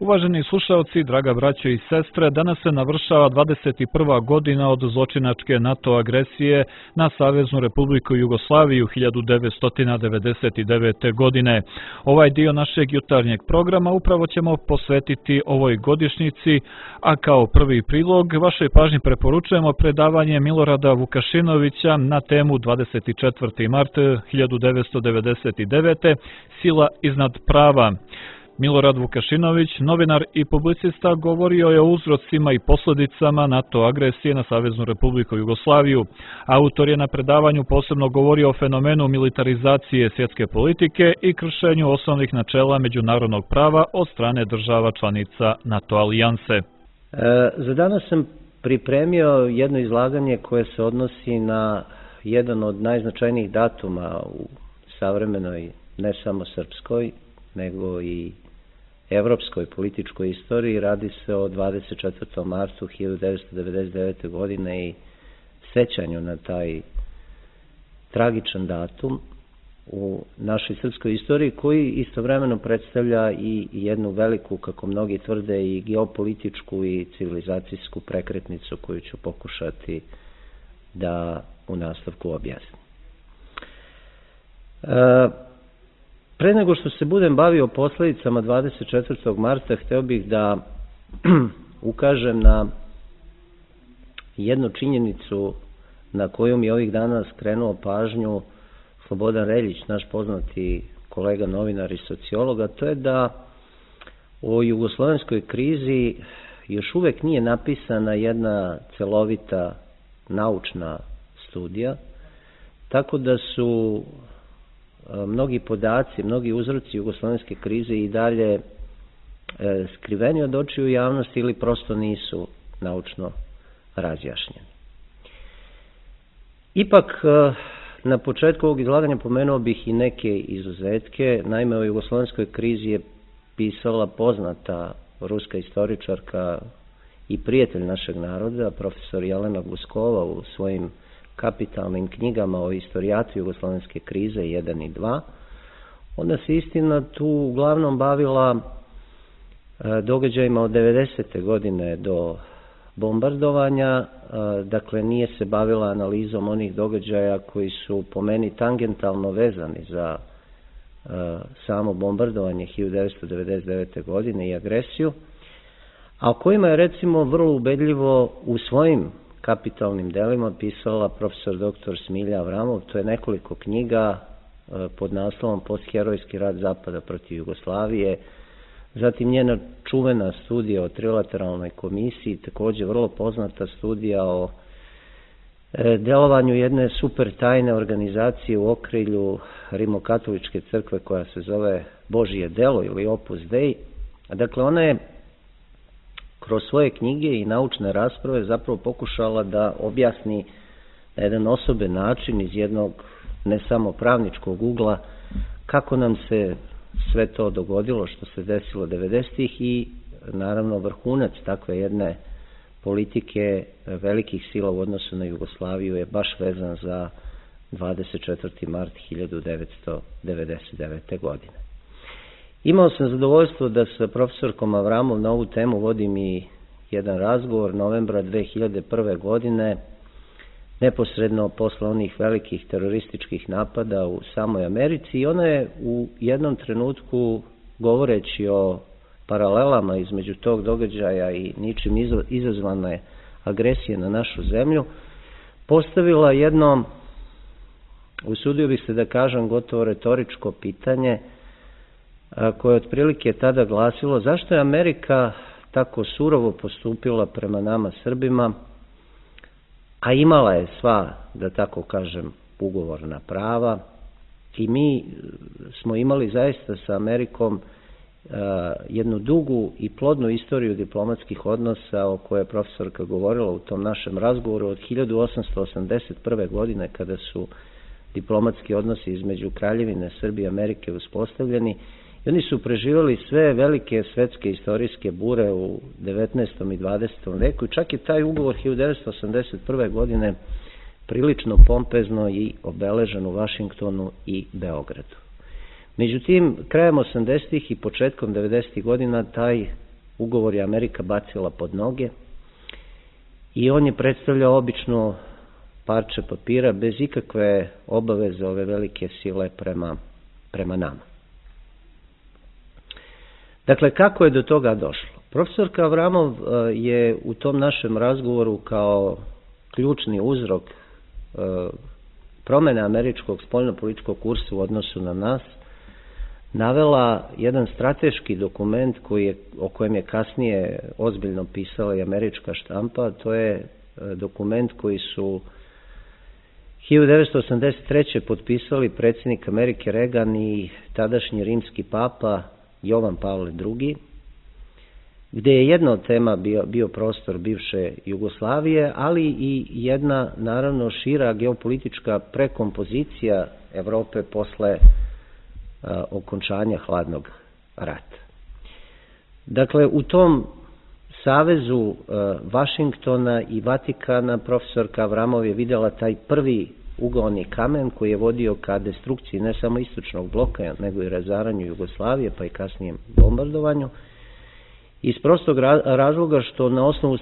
Uvaženi slušalci, draga braćo i sestre, danas se navršava 21. godina od zločinačke NATO agresije na Saveznu Republiku Jugoslaviju 1999. godine. Ovaj dio našeg jutarnjeg programa upravo ćemo posvetiti ovoj godišnjici, a kao prvi prilog vašoj pažnji preporučujemo predavanje Milorada Vukašinovića na temu 24. mart 1999. Sila iznad prava. Milorad Vukašinović, novinar i publicista, govorio je o uzrocima i posljedicama NATO agresije na Saveznu Republiku Jugoslaviju. Autor je na predavanju posebno govorio o fenomenu militarizacije svjetske politike i kršenju osnovnih načela međunarodnog prava od strane država članica NATO alijanse. Za danas sam pripremio jedno izlaganje koje se odnosi na jedan od najznačajnijih datuma u savremenoj, ne samo srpskoj, nego i evropskoj političkoj istoriji. Radi se o 24. martu 1999. godine i sećanju na taj tragičan datum u našoj srpskoj istoriji, koji istovremeno predstavlja i jednu veliku, kako mnogi tvrde, i geopolitičku i civilizacijsku prekretnicu koju ću pokušati da u nastavku objasnim. Pre nego što se budem bavio posljedicama 24. marta, hteo bih da ukažem na jednu činjenicu na koju mi ovih dana skrenuo pažnju Slobodan Reljić, naš poznati kolega novinar i sociolog, a to je da o jugoslovenskoj krizi još uvek nije napisana jedna celovita naučna studija, tako da su mnogi podaci, mnogi uzroci jugoslovenske krize i dalje skriveni od očiju javnosti ili prosto nisu naučno razjašnjeni. Ipak, na početku ovog izlaganja pomenuo bih i neke izuzetke. Naime, o jugoslovenskoj krizi je pisala poznata ruska istoričarka i prijatelj našeg naroda, profesor Jelena Guskova, u svojim kapitalnim knjigama o istorijatu jugoslovenske krize 1 i 2. Ona se istina tu uglavnom bavila događajima od 90. godine do bombardovanja, dakle nije se bavila analizom onih događaja koji su po meni tangentalno vezani za samo bombardovanje 1999. godine i agresiju, a o kojima je recimo vrlo ubedljivo u svojim kapitalnim delima pisala profesor dr. Smilja Avramov. To je nekoliko knjiga pod naslovom Postherojski rat Zapada protiv Jugoslavije, zatim njena čuvena studija o trilateralnoj komisiji, također vrlo poznata studija o delovanju jedne super tajne organizacije u okrilju Rimokatoličke crkve koja se zove Božije delo ili Opus Dei. Dakle, ona je kroz svoje knjige i naučne rasprave zapravo pokušala da objasni na jedan osoben način iz jednog ne samo pravničkog ugla kako nam se sve to dogodilo što se desilo 90-ih i naravno vrhunac takve jedne politike velikih sila u odnosu na Jugoslaviju je baš vezan za 24. mart 1999. godine. Imao sam zadovoljstvo da sa profesorkom Avramov na ovu temu vodim i jedan razgovor novembra 2001. godine, neposredno posle onih velikih terorističkih napada u samoj Americi, i ona je u jednom trenutku, govoreći o paralelama između tog događaja i ničim izazvane agresije na našu zemlju, postavila jedno, usudio bih se da kažem, gotovo retoričko pitanje, koje je otprilike tada glasilo: zašto je Amerika tako surovo postupila prema nama Srbima, a imala je sva, da tako kažem, ugovorna prava, i mi smo imali zaista sa Amerikom jednu dugu i plodnu istoriju diplomatskih odnosa o kojoj je profesorka govorila u tom našem razgovoru od 1881. godine, kada su diplomatski odnosi između Kraljevine Srbije i Amerike uspostavljeni. I oni su preživjeli sve velike svetske istorijske bure u 19. i 20. veku i čak je taj ugovor 1981. godine prilično pompezno i obeležen u Vašingtonu i Beogradu. Međutim, krajem 80. i početkom 90. godina taj ugovor je Amerika bacila pod noge i on je predstavljao obično parče papira bez ikakve obaveze ove velike sile prema nama. Dakle, kako je do toga došlo? Profesorka Avramov je u tom našem razgovoru kao ključni uzrok promjene američkog spoljnopolitičkog kursa u odnosu na nas navela jedan strateški dokument o kojem je kasnije ozbiljno pisala i američka štampa. To je dokument koji su 1983. potpisali predsjednik Amerike Reagan i tadašnji rimski papa Jovan Pavle II, gdje je jedna od tema bio prostor bivše Jugoslavije, ali i jedna naravno šira geopolitička prekompozicija Europe posle okončanja hladnog rata. Dakle, u tom savezu Vašingtona i Vatikana profesorka Avramov je vidjela taj prvi ugaoni kamen koji je vodio ka destrukciji ne samo istočnog bloka, nego i razaranju Jugoslavije, pa i kasnijem bombardovanju. Iz prostog razloga što na osnovu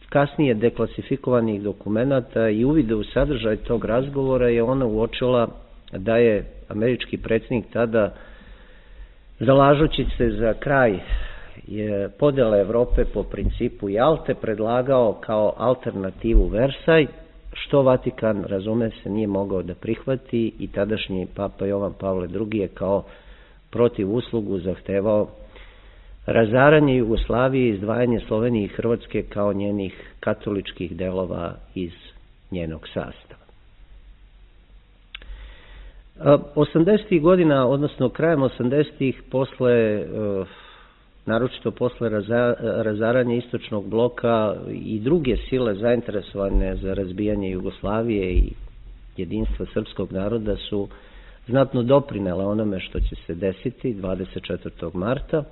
kasnije deklasifikovanih dokumenata i uvide u sadržaj tog razgovora je ona uočila da je američki predsjednik tada, zalažući se za kraj podjele Europe po principu Jalte, predlagao kao alternativu Versaj, što Vatikan, razume se, nije mogao da prihvati i tadašnji papa Jovan Pavle II je kao protiv uslugu zahtevao razaranje Jugoslavije i izdvajanje Slovenije i Hrvatske kao njenih katoličkih delova iz njenog sastava. 80. godina, odnosno krajem 80. naročito posle razaranja istočnog bloka i druge sile zainteresovane za razbijanje Jugoslavije i jedinstva srpskog naroda su znatno doprinele onome što će se desiti 24. marta.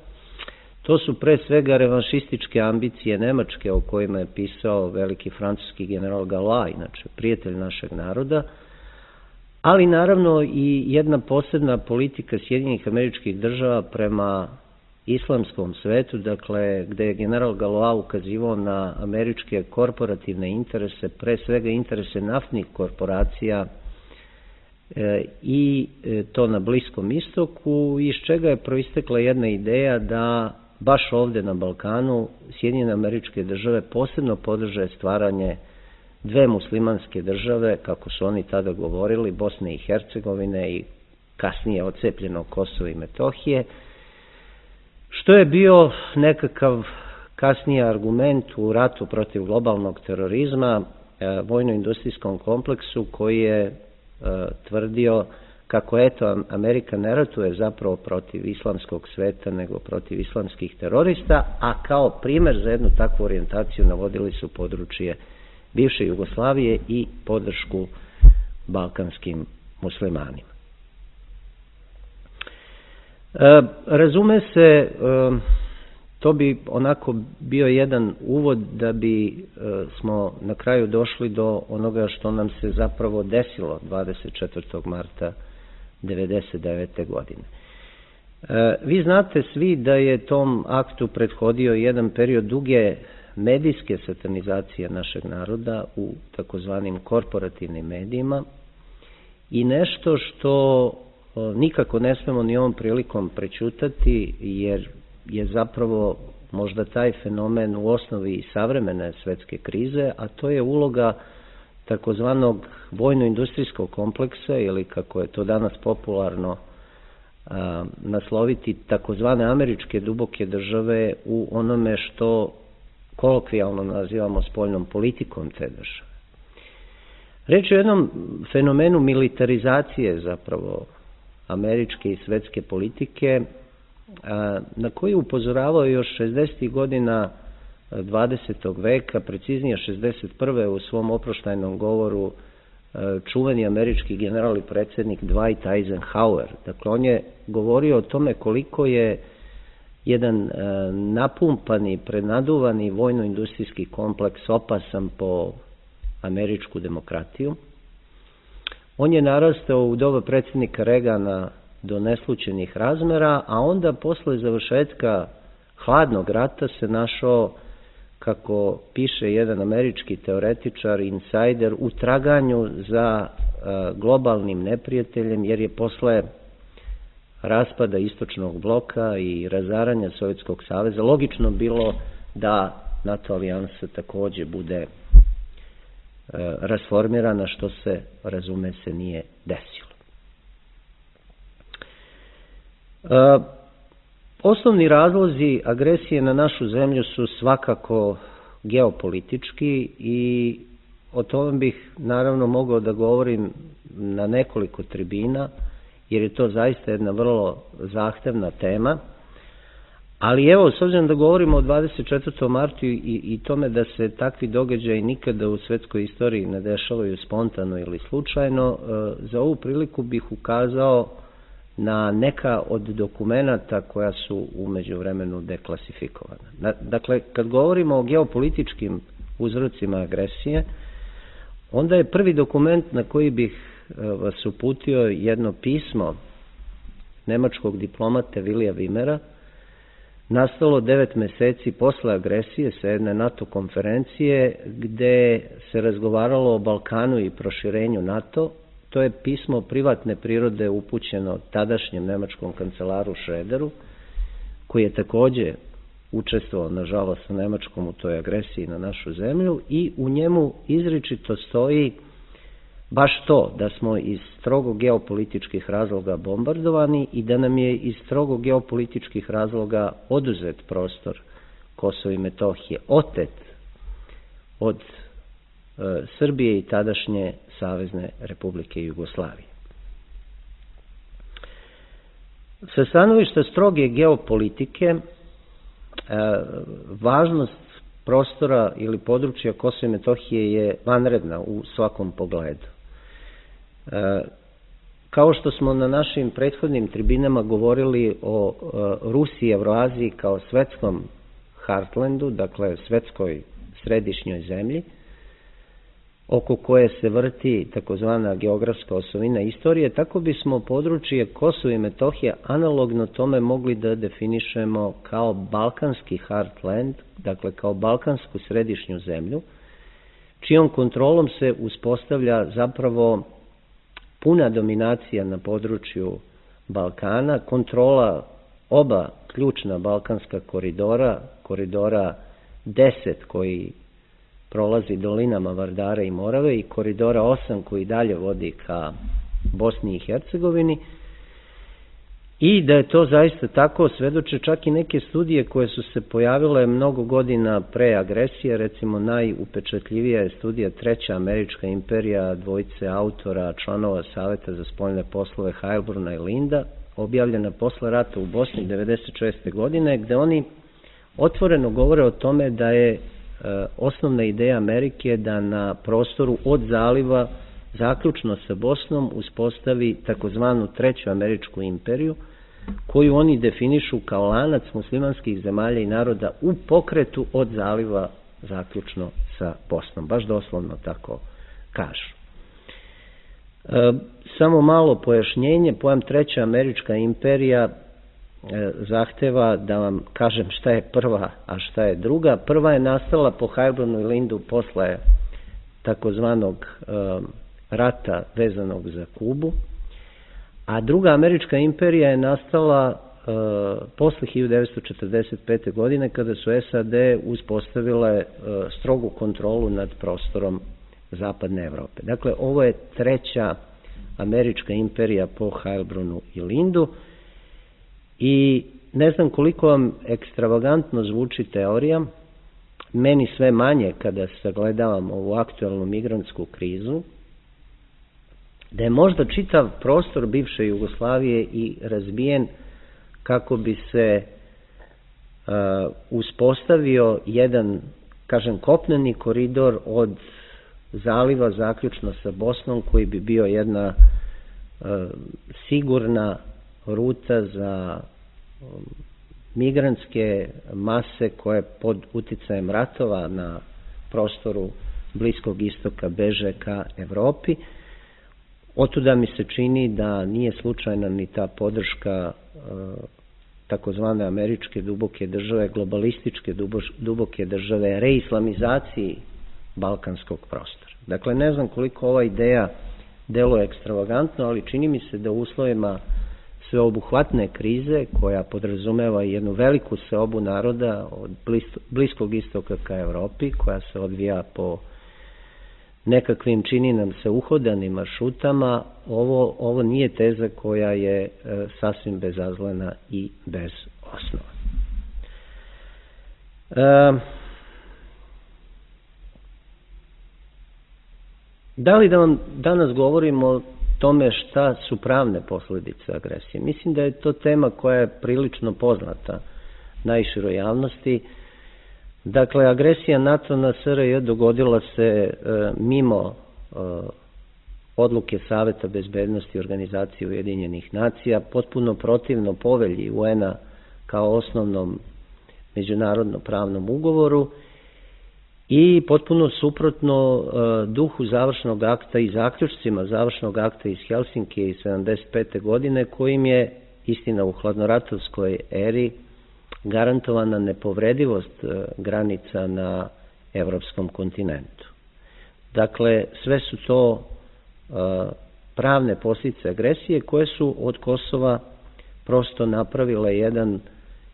To su pre svega revanšističke ambicije Nemačke o kojima je pisao veliki francuski general Galois, inače prijatelj našeg naroda, ali naravno i jedna posebna politika Sjedinjenih Američkih Država prema islamskom svetu, dakle, gde je general Galois ukazivao na američke korporativne interese, pre svega interese naftnih korporacija i to na Bliskom istoku, iz čega je proistekla jedna ideja da baš ovde na Balkanu Sjedinjene Američke Države posebno podrže stvaranje dve muslimanske države, kako su oni tada govorili, Bosne i Hercegovine i kasnije odcepljeno Kosovo i Metohije, što je bio nekakav kasniji argument u ratu protiv globalnog terorizma, vojno-industrijskom kompleksu koji je tvrdio kako eto Amerika ne ratuje zapravo protiv islamskog sveta nego protiv islamskih terorista, a kao primer za jednu takvu orijentaciju navodili su područje bivše Jugoslavije i podršku balkanskim muslimanima. Razume se, to bi onako bio jedan uvod da bi smo na kraju došli do onoga što nam se zapravo desilo 24. marta 1999. godine. Vi znate svi da je tom aktu prethodio jedan period duge medijske satanizacije našeg naroda u takozvanim korporativnim medijima i nešto što nikako ne smemo ni ovom prilikom prećutati, jer je zapravo možda taj fenomen u osnovi savremene svetske krize, a to je uloga takozvanog vojno-industrijskog kompleksa, ili kako je to danas popularno nasloviti, takozvane američke duboke države u onome što kolokvijalno nazivamo spoljnom politikom te države. Reč je o jednom fenomenu militarizacije zapravo američke i svetske politike, na koji upozoravao još 60. godina 20. veka, preciznije 61. u svom oproštajnom govoru čuveni američki general i predsjednik Dwight Eisenhower. Dakle, on je govorio o tome koliko je jedan napumpani, prenaduvani vojno-industrijski kompleks opasan po američku demokratiju. On je narastao u doba predsjednika Reagana do neslućenih razmera, a onda posle završetka hladnog rata se našao, kako piše jedan američki teoretičar, insajder, u traganju za globalnim neprijateljem, jer je posle raspada istočnog bloka i razaranja Sovjetskog saveza logično bilo da NATO alijansa takođe bude rasformirana, što se, razume se, nije desilo. Osnovni razlozi agresije na našu zemlju su svakako geopolitički i o tome bih naravno mogao da govorim na nekoliko tribina, jer je to zaista jedna vrlo zahtevna tema. Ali evo, s obzirom da govorimo o 24. martu i tome da se takvi događaji nikada u svetskoj istoriji ne dešavaju spontano ili slučajno, za ovu priliku bih ukazao na neka od dokumenata koja su u međuvremenu deklasifikovana. Dakle, kad govorimo o geopolitičkim uzrocima agresije, onda je prvi dokument na koji bih vas uputio jedno pismo nemačkog diplomate Vilija Vimera, nastalo 9 meseci posle agresije sa jedne NATO konferencije gde se razgovaralo o Balkanu i proširenju NATO. To je pismo privatne prirode upućeno tadašnjem nemačkom kancelaru Schröderu, koji je takođe učestvovao, nažalost, sa Nemačkom u toj agresiji na našu zemlju, i u njemu izričito stoji baš to, da smo iz strogo geopolitičkih razloga bombardovani i da nam je iz strogo geopolitičkih razloga oduzet prostor Kosova i Metohije, otet od Srbije i tadašnje Savezne Republike Jugoslavije. Sa stanovišta stroge geopolitike, važnost prostora ili područja Kosova i Metohije je vanredna u svakom pogledu. Kao što smo na našim prethodnim tribinama govorili o Rusiji i Evroaziji kao svetskom heartlandu, dakle svetskoj središnjoj zemlji, oko koje se vrti takozvana geografska osovina istorije, tako bismo područje Kosova i Metohije analogno tome mogli da definišemo kao balkanski heartland, dakle kao balkansku središnju zemlju, čijom kontrolom se uspostavlja zapravo puna dominacija na području Balkana, kontrola oba ključna balkanska koridora, koridora 10 koji prolazi dolinama Vardare i Morave i koridora 8 koji dalje vodi ka Bosni i Hercegovini, i da je to zaista tako svedoče čak i neke studije koje su se pojavile mnogo godina pre agresije. Recimo najupečatljivija je studija Treća američka imperija dvojice autora, članova Saveta za spoljne poslove Heilbruna i Linda, objavljena posle rata u Bosni 1996. godine, gde oni otvoreno govore o tome da je osnovna ideja Amerike da na prostoru od zaliva zaključno sa Bosnom uspostavi takozvanu Treću američku imperiju, koju oni definišu kao lanac muslimanskih zemalja i naroda u pokretu od zaliva zaključno sa Bosnom. Baš doslovno tako kažu. Samo malo pojašnjenje, pojam Treća američka imperija zahteva da vam kažem šta je prva, a šta je druga. Prva je nastala po Heilbrunu i Lindu posle takozvanog rata vezanog za Kubu, a druga američka imperija je nastala posle 1945. godine kada su SAD uspostavile strogu kontrolu nad prostorom zapadne Evrope. Dakle, ovo je Treća američka imperija po Heilbrunu i Lindu i ne znam koliko vam ekstravagantno zvuči teorija, meni sve manje kada sagledavam ovu aktuelnu migrantsku krizu, da je možda čitav prostor bivše Jugoslavije i razbijen kako bi se uspostavio jedan, kažem, kopneni koridor od zaliva zaključno sa Bosnom, koji bi bio jedna sigurna ruta za migrantske mase koje pod uticajem ratova na prostoru Bliskog istoka beže ka Evropi. Otuda mi se čini da nije slučajna ni ta podrška takozvane američke duboke države, globalističke duboke države, reislamizaciji balkanskog prostora. Dakle, ne znam koliko ova ideja deluje ekstravagantno, ali čini mi se da u uslovima sveobuhvatne krize, koja podrazumeva jednu veliku seobu naroda od Bliskog istoka ka Evropi, koja se odvija po nekakvim, čini nam se, uhodanim maršrutama, ovo nije teza koja je sasvim bezazlena i bez osnova. Da li da vam danas govorimo o tome šta su pravne posljedice agresije? Mislim da je to tema koja je prilično poznata najširoj javnosti. Dakle, agresija NATO na SRJ dogodila se mimo odluke Saveta bezbednosti Organizacije Ujedinjenih nacija, potpuno protivno povelji UN-a kao osnovnom međunarodno pravnom ugovoru i potpuno suprotno duhu završnog akta i zaključcima završnog akta iz Helsinkija iz 1975. godine, kojim je, istina u hladnoratovskoj eri, garantovana nepovredivost granica na evropskom kontinentu. Dakle, sve su to pravne posljedice agresije koje su od Kosova prosto napravile jedan,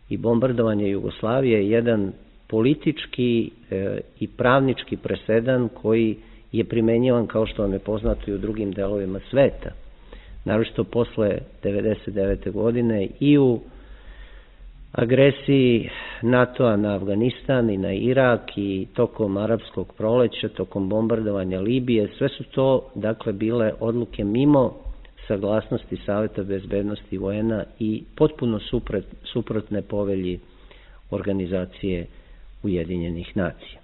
i bombardovanje Jugoslavije, jedan politički i pravnički presedan koji je primenjivan, kao što vam je poznato, i u drugim delovima sveta. Naročito posle 1999. godine i u agresiji NATO-a na Afganistan i na Irak i tokom arapskog proleća, tokom bombardovanja Libije, sve su to, dakle, bile odluke mimo saglasnosti Saveta bezbednosti UN-a i potpuno suprotne povelji Organizacije Ujedinjenih nacija.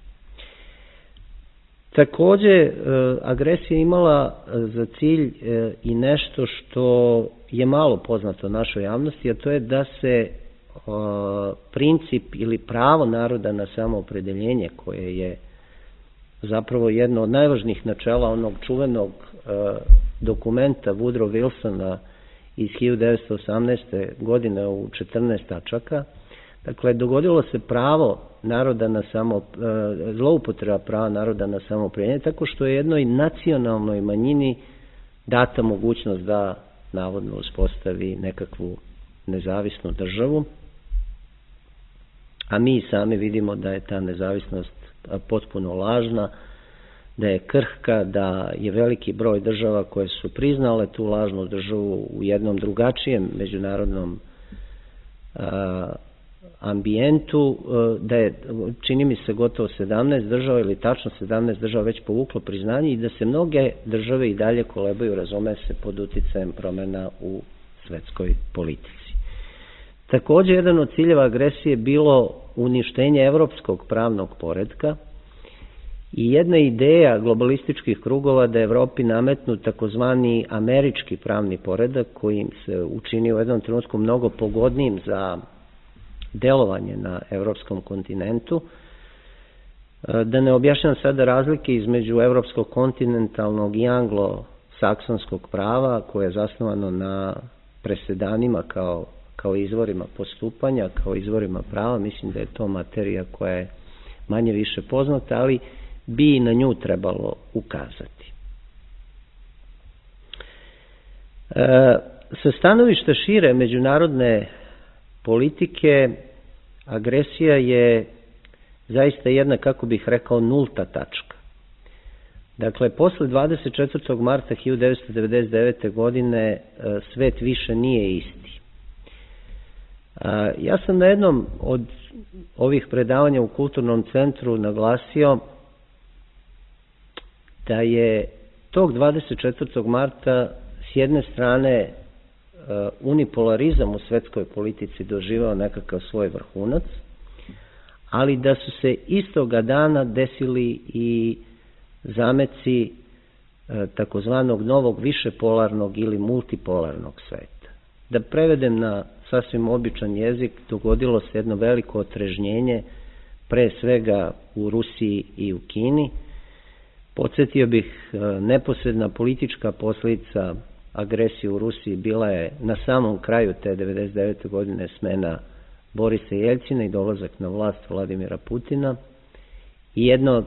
Takođe, agresija imala za cilj i nešto što je malo poznato našoj javnosti, a to je da se princip ili pravo naroda na samoopredeljenje, koje je zapravo jedno od najvažnijih načela onog čuvenog dokumenta Woodrow Wilsona iz 1918. godine u 14 tačaka. Dakle, dogodilo se pravo naroda na zloupotreba prava naroda na samoopredeljenje, tako što je jednoj nacionalnoj manjini data mogućnost da navodno uspostavi nekakvu nezavisnu državu, a mi sami vidimo da je ta nezavisnost potpuno lažna, da je krhka, da je veliki broj država koje su priznale tu lažnu državu u jednom drugačijem međunarodnom ambijentu, da je, čini mi se, gotovo 17 država ili tačno 17 država već povuklo priznanje i da se mnoge države i dalje kolebaju, razume se, pod uticajem promena u svetskoj politici. Takođe, jedan od ciljeva agresije je bilo uništenje evropskog pravnog poretka i jedna ideja globalističkih krugova da Evropi nametnu takozvani američki pravni poredak, koji im se učinio u jednom trenutku mnogo pogodnijim za delovanje na evropskom kontinentu. Da ne objašnjam sada razlike između evropskog kontinentalnog i anglo-saksonskog prava, koje je zasnovano na presedanima kao izvorima postupanja, kao izvorima prava. Mislim da je to materija koja je manje više poznata, ali bi i na nju trebalo ukazati. Sa stanovišta šire međunarodne politike, agresija je zaista jedna, kako bih rekao, nulta tačka. Dakle, posle 24. marta 1999. godine svet više nije isti. Ja sam na jednom od ovih predavanja u Kulturnom centru naglasio da je tog 24. marta s jedne strane unipolarizam u svetskoj politici doživao nekakav svoj vrhunac, ali da su se istoga dana desili i zameci takozvanog novog višepolarnog ili multipolarnog sveta. Da prevedem na sasvim običan jezik, dogodilo se jedno veliko otrežnjenje, pre svega u Rusiji i u Kini. Podsjetio bih, neposredna politička posljedica agresije u Rusiji bila je na samom kraju te 1999. godine smena Borisa Jeljcina i dolazak na vlast Vladimira Putina i jedno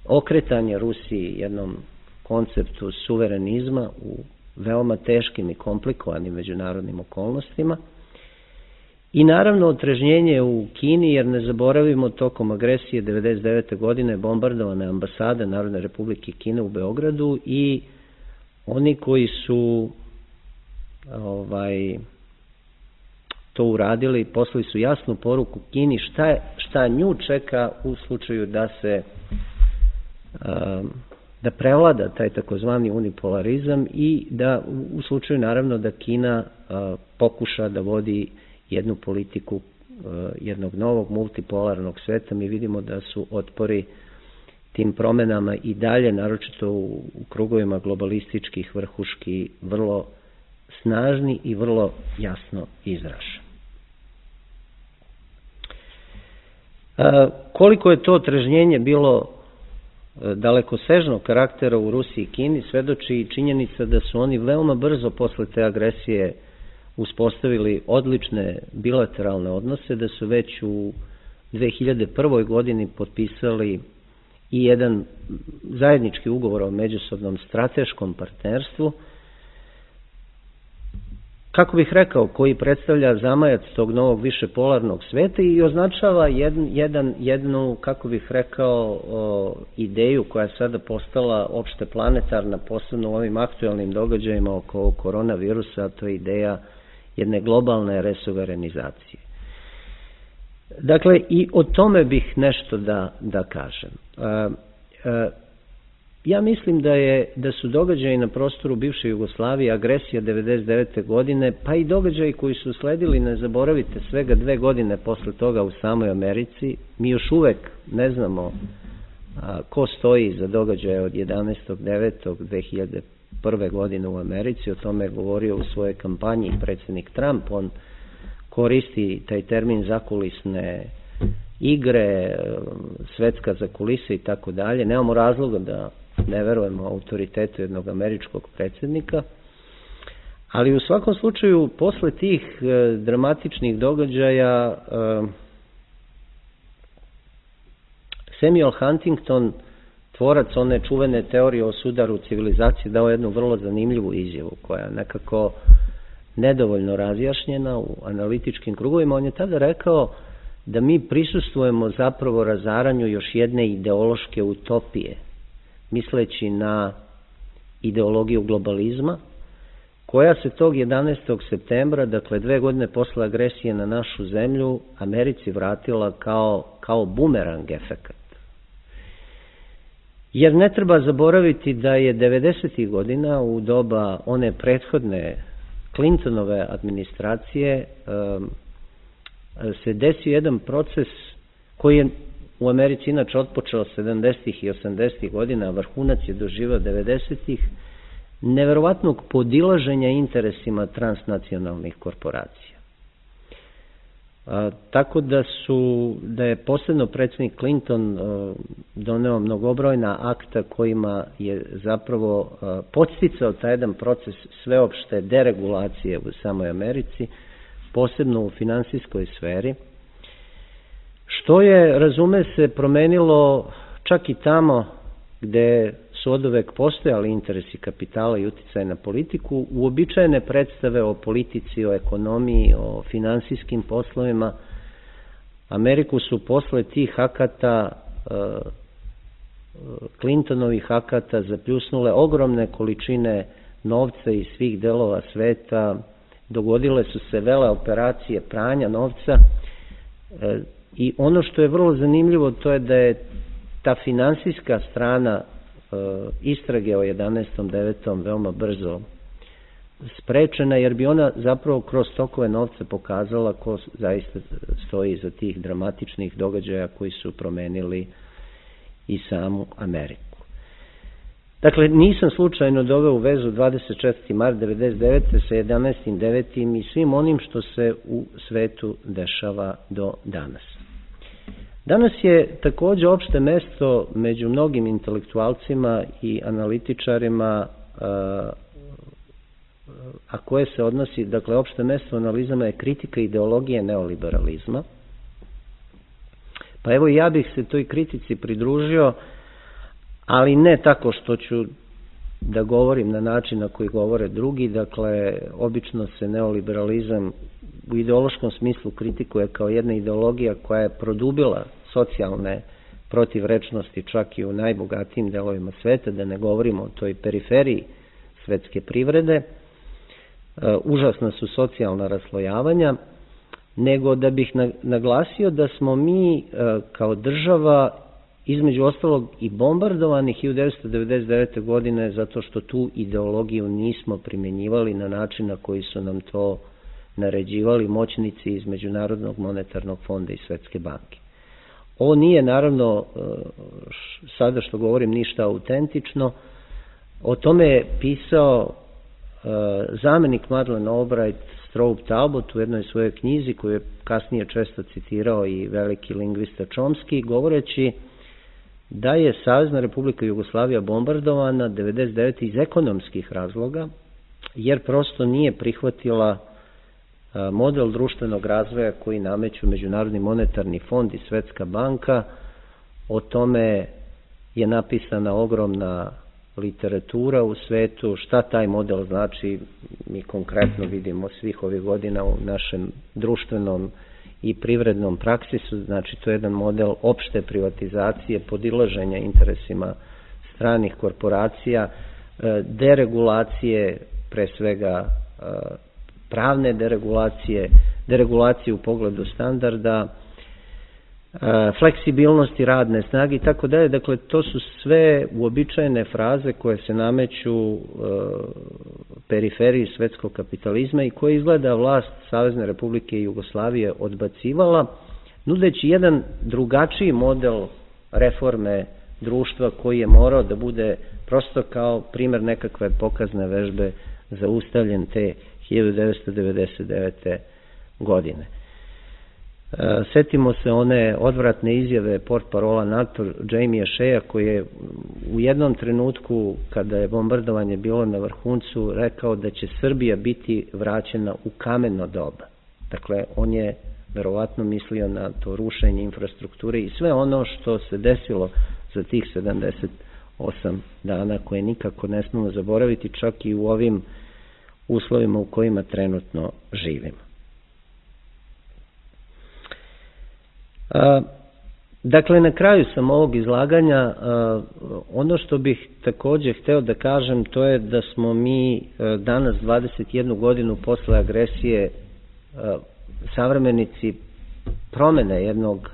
okretanje Rusiji jednom konceptu suverenizma u veoma teškim i komplikovanim međunarodnim okolnostima i naravno otrežnjenje u Kini, jer ne zaboravimo, tokom agresije 1999. godine bombardovane ambasade Narodne Republike Kine u Beogradu i oni koji su to uradili poslali su jasnu poruku Kini šta nju čeka u slučaju da prevlada taj takozvani unipolarizam i da u slučaju naravno da Kina pokuša da vodi jednu politiku jednog novog multipolarnog sveta. Mi vidimo da su otpori tim promenama i dalje, naročito u krugovima globalističkih vrhuški, vrlo snažni i vrlo jasno izraženi. Koliko je to otrežnjenje bilo dalekosežnog karaktera u Rusiji i Kini svedoči i činjenica da su oni veoma brzo posle te agresije uspostavili odlične bilateralne odnose, da su već u 2001. godini potpisali i jedan zajednički ugovor o međusobnom strateškom partnerstvu, kako bih rekao, koji predstavlja zamajac tog novog višepolarnog sveta i označava jednu, kako bih rekao, ideju koja je sada postala opšte planetarna, posebno u ovim aktuelnim događajima oko koronavirusa, a to je ideja jedne globalne resuverenizacije. Dakle, i o tome bih nešto da kažem. Ja mislim da su događaji na prostoru bivše Jugoslavije, agresija 1999. godine, pa i događaji koji su usledili, ne zaboravite, svega 2 godine posle toga u samoj Americi, mi još uvek ne znamo ko stoji za događaje od 11.9.2001. godine u Americi. O tome je govorio u svojoj kampanji predsjednik Trump. On koristi taj termin zakulisne igre, svetska zakulisa i tako dalje. Nemamo razloga da ne verujemo autoritetu jednog američkog predsjednika, ali u svakom slučaju posle tih dramatičnih događaja Samuel Huntington, tvorac one čuvene teorije o sudaru civilizacije, dao jednu vrlo zanimljivu izjavu koja je nekako nedovoljno razjašnjena u analitičkim krugovima. On je tada rekao da mi prisustvujemo zapravo razaranju još jedne ideološke utopije, misleći na ideologiju globalizma, koja se tog 11. septembra, dakle 2 godine posle agresije na našu zemlju, Americi vratila kao bumerang efekat. Jer ne treba zaboraviti da je 90. godina, u doba one prethodne Clintonove administracije, se desio jedan proces koji je u Americi inače otpočeo 70. i 80. godina, a vrhunac je doživao 90. neverovatnog podilaženja interesima transnacionalnih korporacija. Tako da je posebno predsjednik Clinton doneo mnogobrojna akta kojima je zapravo podsticao taj jedan proces sveopšte deregulacije u samoj Americi, posebno u finansijskoj sferi, što je, razume se, promenilo čak i tamo gde su oduvek postojali interesi kapitala i uticaj na politiku, uobičajene predstave o politici, o ekonomiji, o finansijskim poslovima. Ameriku su posle tih akata, Clintonovih akata, zapljusnule ogromne količine novca iz svih delova sveta, dogodile su se vele operacije pranja novca i ono što je vrlo zanimljivo to je da je ta finansijska strana istrage o 11.9. veoma brzo sprečena, jer bi ona zapravo kroz tokove novca pokazala ko zaista stoji iza tih dramatičnih događaja koji su promenili i samu Ameriku. Dakle, nisam slučajno doveo u vezu 24. mart 1999. sa 11.9. i svim onim što se u svetu dešava do danas. Danas je takođe opšte mesto među mnogim intelektualcima i analitičarima a koje se odnosi, dakle, opšte mesto analizama je kritika ideologije neoliberalizma. Pa evo ja bih se toj kritici pridružio, ali ne tako što ću da govorim na način na koji govore drugi, dakle, obično se neoliberalizam u ideološkom smislu kritikuje kao jedna ideologija koja je produbila socijalne protivrečnosti čak i u najbogatijim delovima sveta, da ne govorimo o toj periferiji svetske privrede, užasna su socijalna raslojavanja, nego da bih naglasio da smo mi kao država između ostalog i bombardovani 1999. godine zato što tu ideologiju nismo primjenjivali na način na koji su nam to naređivali moćnici iz Međunarodnog monetarnog fonda i Svetske banke. Ovo nije naravno, sada što govorim, ništa autentično. O tome je pisao zamenik Madeleine Albright Strobe Talbot u jednoj svojoj knjizi koju je kasnije često citirao i veliki lingvista Chomsky, govoreći da je Savezna Republika Jugoslavija bombardovana 1999. iz ekonomskih razloga, jer prosto nije prihvatila model društvenog razvoja koji nameću Međunarodni monetarni fond i Svetska banka. O tome je napisana ogromna literatura u svetu. Šta taj model znači, mi konkretno vidimo svih ovih godina u našem društvenom i privrednom praksisu. Znači, to je jedan model opšte privatizacije, podilaženja interesima stranih korporacija, deregulacije, pre svega pravne deregulacije u pogledu standarda, fleksibilnosti radne snage i tako dalje. Dakle, to su sve uobičajene fraze koje se nameću periferiji svetskog kapitalizma i koje izgleda vlast Savezne Republike Jugoslavije odbacivala, nudeći jedan drugačiji model reforme društva koji je morao da bude prosto kao primer nekakve pokazne vežbe zaustavljen te 1999. godine. Setimo se one odvratne izjave portparola NATO Jamie Shea koji je u jednom trenutku kada je bombardovanje bilo na vrhuncu rekao da će Srbija biti vraćena u kameno doba. Dakle, on je verovatno mislio na to rušenje infrastrukture i sve ono što se desilo za tih 78 dana koje nikako ne smemo zaboraviti čak i u ovim uslovima u kojima trenutno živimo. Dakle, na kraju sam ovog izlaganja, ono što bih takođe hteo da kažem, to je da smo mi danas 21 godinu posle agresije savremenici promene jednog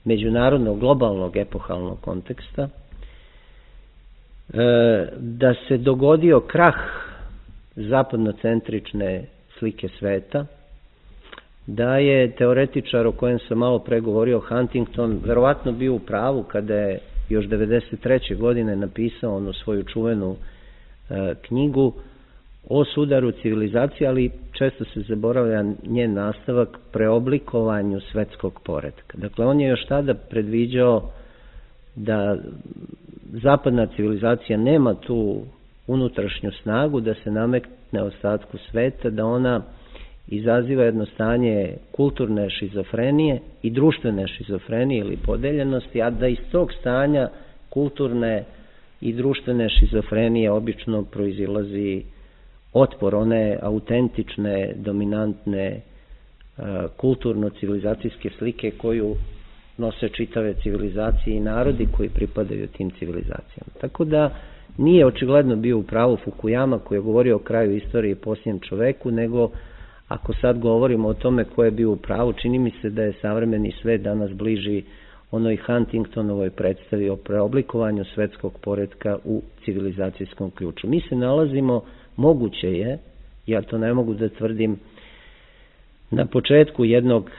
međunarodnog globalnog epohalnog konteksta, da se dogodio krah zapadnocentrične slike sveta, da je teoretičar o kojem sam malo pre govorio, Huntington, verovatno bio u pravu kada je još 1993. godine napisao onu svoju čuvenu knjigu o sudaru civilizacije, ali često se zaboravlja njen nastavak, preoblikovanju svetskog poretka. Dakle, on je još tada predviđao da zapadna civilizacija nema tu unutrašnju snagu da se nametne ostatku sveta, da ona izaziva jedno stanje kulturne šizofrenije i društvene šizofrenije ili podeljenosti, a da iz tog stanja kulturne i društvene šizofrenije obično proizilazi otpor one autentične, dominantne, kulturno-civilizacijske slike koju nose čitave civilizacije i narodi koji pripadaju tim civilizacijama. Tako da nije očigledno bio u pravu Fukuyama koji je govorio o kraju istorije i posljednjem čoveku, nego ako sad govorimo o tome ko je bio u pravu, čini mi se da je savremeni svet danas bliži onoj Huntingtonovoj predstavi o preoblikovanju svetskog poretka u civilizacijskom ključu. Mi se nalazimo, moguće je, ja to ne mogu da tvrdim, na početku jednog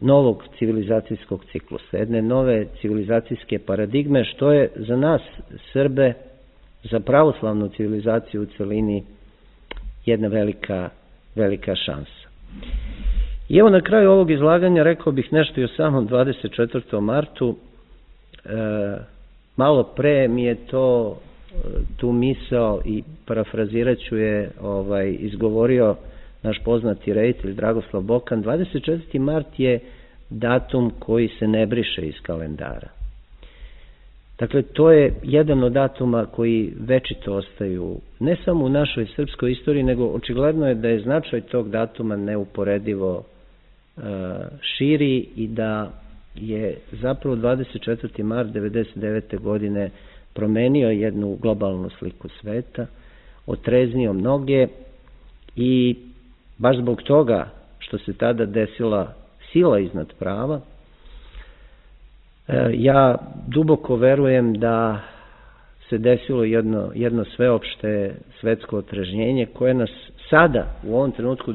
novog civilizacijskog ciklusa, jedne nove civilizacijske paradigme, što je za nas Srbe, za pravoslavnu civilizaciju u celini, jedna velika šansa. I evo na kraju ovog izlaganja rekao bih nešto i o samom 24. martu. Malo pre mi je to tu misao i parafrazirat ću je izgovorio naš poznati reditelj Dragoslav Bokan. 24. mart je datum koji se ne briše iz kalendara. Dakle, to je jedan od datuma koji večito ostaju ne samo u našoj srpskoj istoriji, nego očigledno je da je značaj tog datuma neuporedivo širi i da je zapravo 24. mart 1999. godine promenio jednu globalnu sliku sveta, otreznio mnoge i baš zbog toga što se tada desila sila iznad prava, ja duboko verujem da se desilo jedno sveopšte svetsko otrežnjenje koje nas sada, u ovom trenutku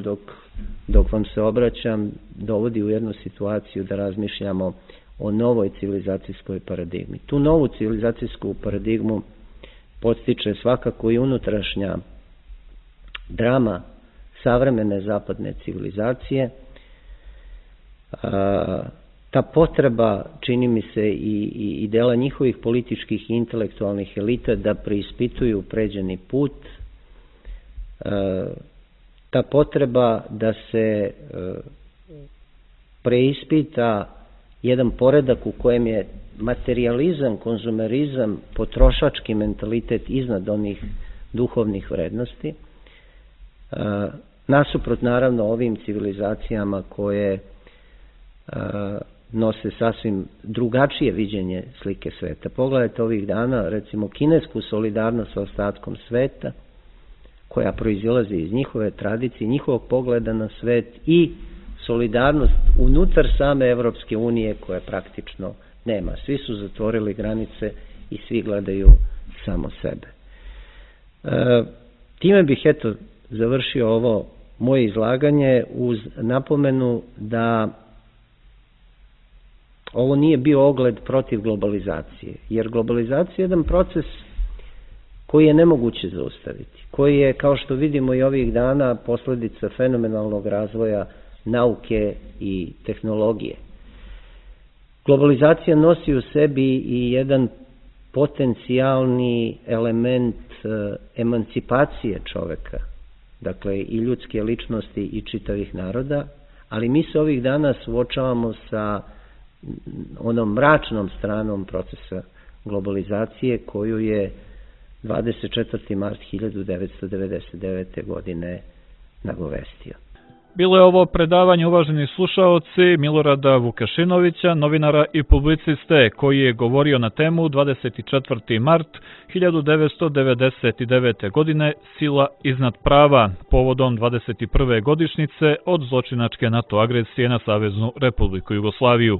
dok vam se obraćam, dovodi u jednu situaciju da razmišljamo o novoj civilizacijskoj paradigmi. Tu novu civilizacijsku paradigmu podstiče svakako i unutrašnja drama savremene zapadne civilizacije. Ta potreba, čini mi se, i dela njihovih političkih i intelektualnih elita da preispituju pređeni put, ta potreba da se preispita jedan poredak u kojem je materijalizam, konzumerizam, potrošački mentalitet iznad onih duhovnih vrednosti, nasuprot naravno ovim civilizacijama koje nose sasvim drugačije viđenje slike sveta. Pogledajte ovih dana, recimo, kinesku solidarnost sa ostatkom sveta, koja proizilazi iz njihove tradicije, njihovog pogleda na svet i solidarnost unutar same Evropske unije koja praktično nema. Svi su zatvorili granice i svi gledaju samo sebe. Time bih završio ovo moje izlaganje uz napomenu da ovo nije bio ogled protiv globalizacije, jer globalizacija je jedan proces koji je nemoguće zaustaviti, koji je, kao što vidimo i ovih dana, posledica fenomenalnog razvoja nauke i tehnologije. Globalizacija nosi u sebi i jedan potencijalni element emancipacije čoveka, dakle i ljudske ličnosti i čitavih naroda, ali mi se ovih dana suočavamo sa onom mračnom stranom procesa globalizacije koju je 24. mart 1999. godine nagovestio. Bilo je ovo predavanje, uvaženi slušaoci, Milorada Vukašinovića, novinara i publiciste, koji je govorio na temu 24. mart 1999. godine Sila iznad prava, povodom 21. godišnjice od zločinačke NATO agresije na Saveznu Republiku Jugoslaviju.